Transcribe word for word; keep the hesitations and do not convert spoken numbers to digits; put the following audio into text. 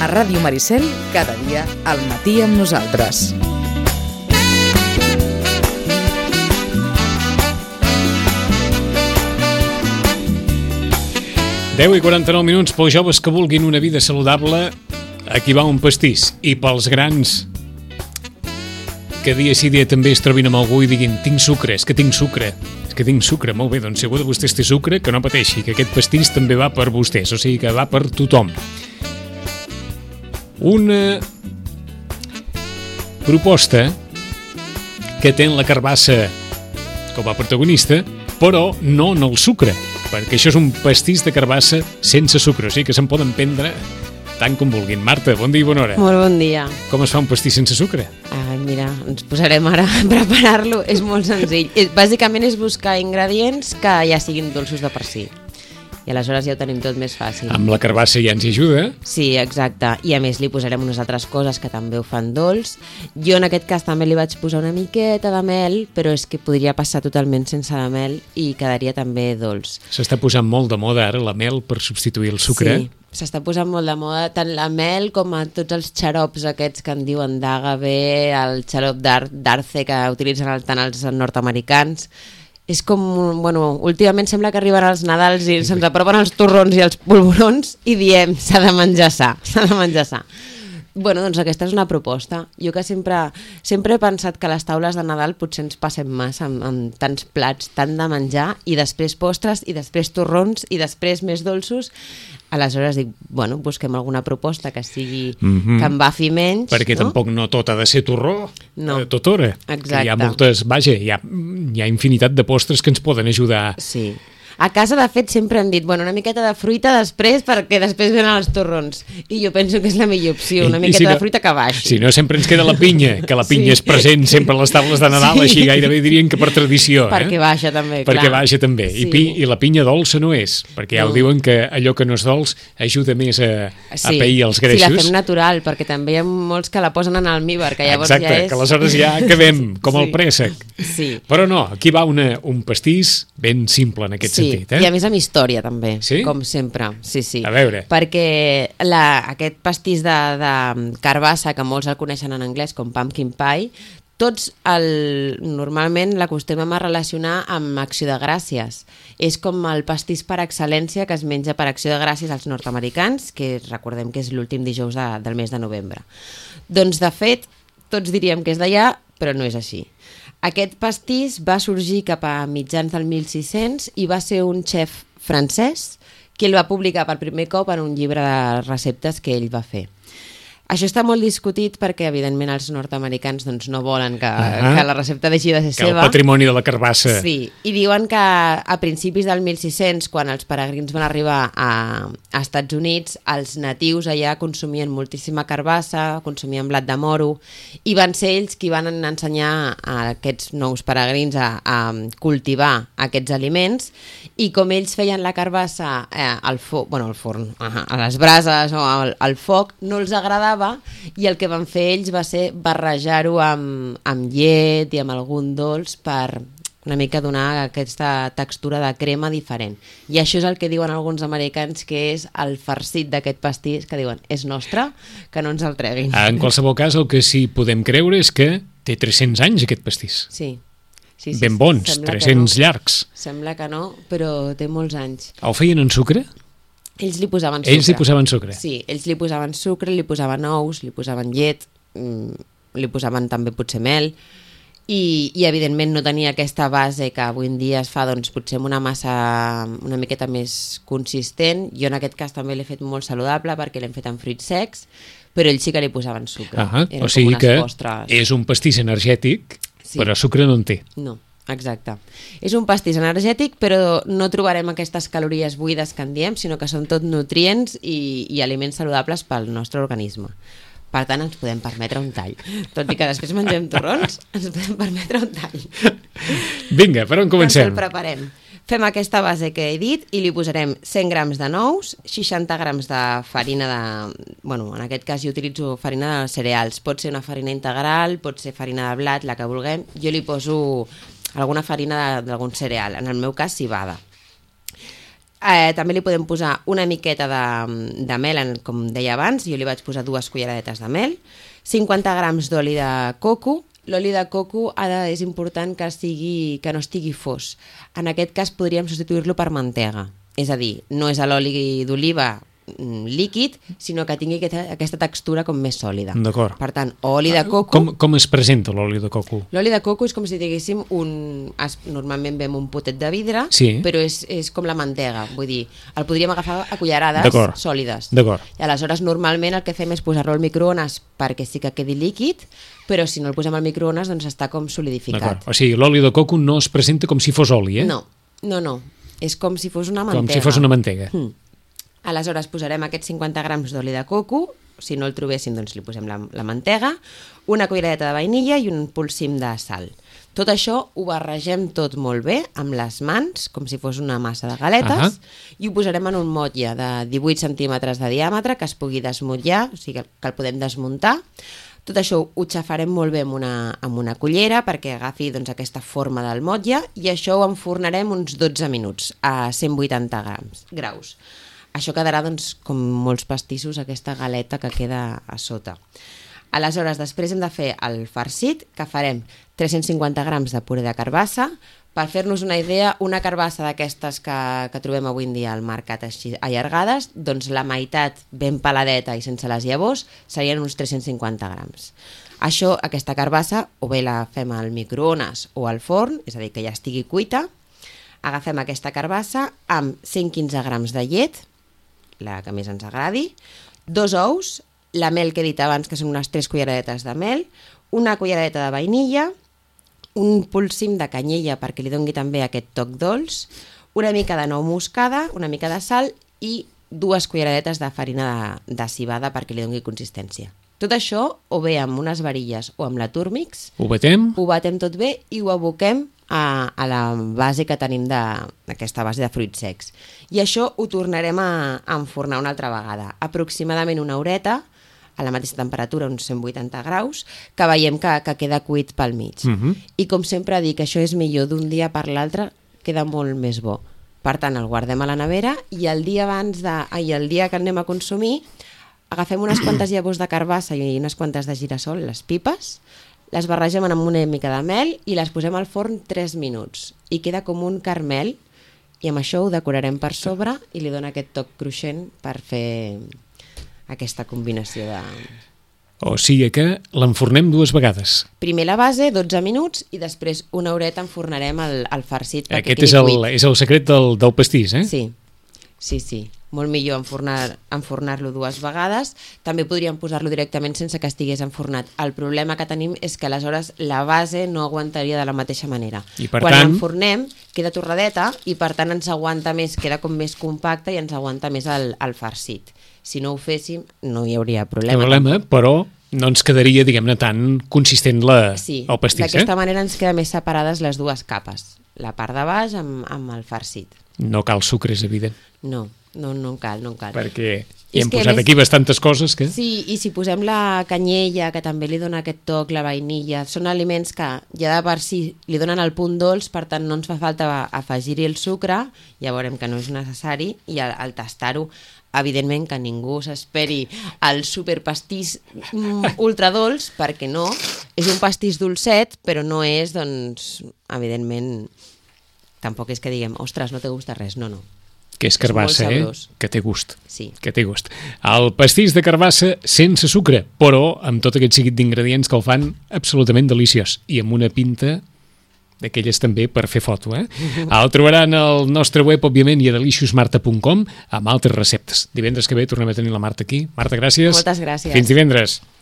A Ràdio Maricel, cada dia al matí amb nosaltres. deu i quaranta-nou minuts pels joves que vulguin una vida saludable, aquí va un pastís. I pels grans que dia sí dia també es trobin amb algú i diguin tinc sucre, és que tinc sucre, és que tinc sucre, molt bé, doncs si algú de vostès té sucre, que no pateixi, que aquest pastís també va per vostès, o sigui que va per tothom. Una proposta que té la carbassa com a protagonista, però no en el sucre, perquè això és un pastís de carbassa sense sucre, o sigui que se'n poden prendre tant com vulguin. Marta, bon dia i bona hora. Molt bon dia. Com es fa un pastís sense sucre? Ai, mira, ens posarem ara a preparar-lo. És molt senzill. Bàsicament és buscar ingredients que ja siguin dolços de per si. I aleshores ja ho tenim tot més fàcil. Amb la carbassa ja ens hi ajuda. Sí, exacte. I a més li posarem unes altres coses que també ho fan dolç. Jo en aquest cas també li vaig posar una miqueta de mel, però és que podria passar totalment sense la mel i quedaria també dolç. S'està posant molt de moda ara la mel per substituir el sucre. Sí, s'està posant molt de moda tant la mel com a tots els xarops aquests que en diuen d'agave, el xarop d'arce que utilitzen tant els nord-americans. És com, bueno, últimament sembla que arriben els Nadals i se'ns apropen els torrons i els polvorons i diem, s'ha de menjar sa, s'ha de menjar sa. Bueno, doncs aquesta és una proposta. Jo que sempre, sempre he pensat que les taules de Nadal potser ens passem massa amb, amb tants plats, tant de menjar, i després postres, i després torrons, i després més dolços. Aleshores dic, bueno, busquem alguna proposta que sigui, mm-hmm. que em bafi menys. Perquè no? Tampoc no tot ha de ser torró, no. eh, tot hora. Exacte. Hi ha moltes, vaja, hi ha, hi ha infinitat de postres que ens poden ajudar. Sí. A casa, de fet, sempre hem dit, bueno, una miqueta de fruita després, perquè després venen els torrons. I jo penso que és la millor opció, una I, miqueta i si no, de fruita que baixi. Si no, sempre ens queda la pinya, que la pinya sí. és present sempre a les taules de Nadal, sí. Així gairebé dirien que per tradició. Perquè eh? baixa també, perquè clar. Perquè baixa també. Sí. I, pi, I la pinya dolça no és, perquè ja no. ho diuen que allò que no és dolç ajuda més a, sí. a pair els greixos. Sí, la fem natural, perquè també hi ha molts que la posen en almíbar, que llavors Exacte, ja és... que aleshores ja acabem, com sí. el préssec. Sí. Però no, aquí va una, un pastís ben simple en aquest sí. sentit. Eh? I a més amb història també, sí? com sempre. Sí, sí. A veure. Perquè la, aquest pastís de, de carbassa, que molts el coneixen en anglès com pumpkin pie, tots el, normalment l'acostumem a relacionar amb Acció de Gràcies. És com el pastís per excel·lència que es menja per Acció de Gràcies als nord-americans, que recordem que és l'últim dijous de, del mes de novembre. Doncs, de fet, tots diríem que és d'allà, però no és així. Aquest pastís va sorgir cap a mitjans del mil sis-cents i va ser un xef francès que el va publicar per primer cop en un llibre de receptes que ell va fer. Això està molt discutit perquè, evidentment, els nord-americans doncs, no volen que, uh-huh. que la recepta deixi de ser que seva. El patrimoni de la carbassa. Sí, i diuen que a principis del mil sis-cents, quan els peregrins van arribar a, a Estats Units, els natius allà consumien moltíssima carbassa, consumien blat de moro, i van ser ells qui van ensenyar a aquests nous peregrins a, a cultivar aquests aliments, i com ells feien la carbassa eh, al, fo- bueno, al forn, uh-huh, a les brases o al, al foc, no els agradava, i el que van fer ells va ser barrejar-ho amb, amb llet i amb algun dolç per una mica donar aquesta textura de crema diferent. I això és el que diuen alguns americans que és el farcit d'aquest pastís, que diuen, és nostre, que no ens el treguin. En qualsevol cas, el que sí podem creure és que té tres-cents anys aquest pastís. Sí. Sí, sí, ben bons, tres-cents no. llargs. Sembla que no, però té molts anys. El feien en sucre? Ells li posaven sucre. Ells li posaven sucre? Sí, ells li posaven sucre, li posaven ous, li posaven llet, mmm, li posaven també potser mel, i, i evidentment no tenia aquesta base que avui en dia es fa doncs, potser amb una massa una miqueta més consistent. Jo en aquest cas també l'he fet molt saludable perquè l'hem fet amb fruits secs, però ells sí que li posaven sucre. Ah, o sigui que postres. És un pastís energètic, sí. Però sucre no en té. No. Exacte. És un pastís energètic, però no trobarem aquestes calories buides que en diem, sinó que són tot nutrients i, i aliments saludables pel nostre organisme. Per tant, ens podem permetre un tall. Tot i que després mengem torrons, ens podem permetre un tall. Vinga, per on comencem? Doncs el preparem. Fem aquesta base que he dit i li posarem cent grams de nous, seixanta grams de farina de... Bueno, en aquest cas jo utilitzo farina de cereals. Pot ser una farina integral, pot ser farina de blat, la que vulguem. Jo li poso alguna farina d'algun cereal, en el meu cas cibada. Eh, també li podem posar una miqueta de, de mel, en, com deia abans, jo li vaig posar dues culleradetes de mel, cinquanta grams d'oli de coco. L'oli de coco ha de, és important que, sigui, que no estigui fos. En aquest cas podríem substituir-lo per mantega, és a dir, no és l'oli d'oliva líquid, sinó que tingui aquesta, aquesta textura com més sòlida. D'acord. Per tant, oli de coco... Com, com es presenta l'oli de coco? L'oli de coco és com si diguéssim un... Es, normalment vem un potet de vidre, sí. però és, és com la mantega, vull dir, el podríem agafar a cullerades sòlides. D'acord. I aleshores normalment el que fem és posar-lo al microones perquè sí que quedi líquid, però si no el posem al microones doncs està com solidificat. O sigui, l'oli de coco no es presenta com si fos oli, eh? No, no, no. És com si fos una mantega. Com si fos una mantega. Mm. Aleshores posarem aquests cinquanta grams d'oli de coco, si no el trobéssim doncs li posem la, la mantega, una culleradeta de vainilla i un polsim de sal. Tot això ho barregem tot molt bé amb les mans, com si fos una massa de galetes, uh-huh. i ho posarem en un motlle de divuit centímetres de diàmetre que es pugui desmotllar, o sigui que el podem desmuntar. Tot això ho xafarem molt bé amb una, amb una cullera perquè agafi doncs, aquesta forma del motlle i això ho enfornarem uns dotze minuts a cent vuitanta grams, graus. Això quedarà doncs, com molts pastissos, aquesta galeta que queda a sota. Aleshores, després hem de fer el farcit, que farem tres-cents cinquanta grams de puré de carbassa. Per fer-nos una idea, una carbassa d'aquestes que, que trobem avui en dia al mercat així allargades, doncs la meitat ben peladeta i sense les llavors serien uns tres-cents cinquanta grams. Això, aquesta carbassa, o bé la fem al microones o al forn, és a dir, que ja estigui cuita. Agafem aquesta carbassa amb cent quinze grams de llet, la que més ens agradi, dos ous, la mel que he dit abans, que són unes tres culleradetes de mel, una culleradeta de vainilla, un polsim de canyella perquè li doni també aquest toc dolç, una mica de nou moscada, una mica de sal i dues culleradetes de farina de, de civada perquè li doni consistència. Tot això, o bé amb unes varilles o amb la Turmix, ho batem, ho batem tot bé i ho aboquem a, a la base que tenim d'aquesta base de fruits secs. I això ho tornarem a, a enfornar una altra vegada, aproximadament una horeta, a la mateixa temperatura, uns cent vuitanta graus, que veiem que, que queda cuit pel mig. Uh-huh. I com sempre dic, això és millor d'un dia per l'altre, queda molt més bo. Per tant, el guardem a la nevera i el dia abans de, ai, el dia que anem a consumir, agafem unes quantes llavors de carbassa i unes quantes de girassol, les pipes, les barregem amb una mica de mel i les posem al forn tres minuts. I queda com un caramel i amb això ho decorarem per sobre i li dona aquest toc cruixent per fer aquesta combinació de... O sigui que l'enfornem dues vegades. Primer la base, dotze minuts, i després una horeta enfornarem el, el farcit perquè Aquest quedi és el, cuit. és el secret del, del pastís, eh? Sí, sí, sí. Molt millor enfornar, enfornar-lo dues vegades. També podríem posar-lo directament sense que estigués enfornat. El problema que tenim és que aleshores la base no aguantaria de la mateixa manera. I per Quan tant... l'enfornem queda torradeta i per tant ens aguanta més, queda com més compacte i ens aguanta més el, el farcit. Si no ho féssim no hi hauria problema. problema però no ens quedaria, diguem-ne, tan consistent la, sí, el pastís. D'aquesta eh? manera ens queda més separades les dues capes. La part de baix amb, amb el farcit. No cal sucre, és evident. No. No, no en cal, no en cal. Perquè hi hem que posat més... aquí bastantes coses que... Sí, i si posem la canyella, que també li dona aquest toc, la vainilla, són aliments que ja de per si li donen el punt dolç, per tant no ens fa falta afegir-hi el sucre, ja veurem que no és necessari, i al, al tastar-ho, evidentment que ningú s'esperi el superpastís mm, ultradolç, perquè no, és un pastís dolcet, però no és, doncs, evidentment, tampoc és que diguem, ostres, no te gusta res, no, no. Que és carbassa, eh? Que té gust. Sí. Que té gust. El pastís de carbassa sense sucre, però amb tot aquest seguit d'ingredients que el fan absolutament deliciós. I amb una pinta d'aquelles també per fer foto, eh? El trobaran al nostre web, òbviament, i a delicious marta punt com amb altres receptes. Divendres que ve tornem a tenir la Marta aquí. Marta, gràcies. Moltes gràcies. Fins divendres.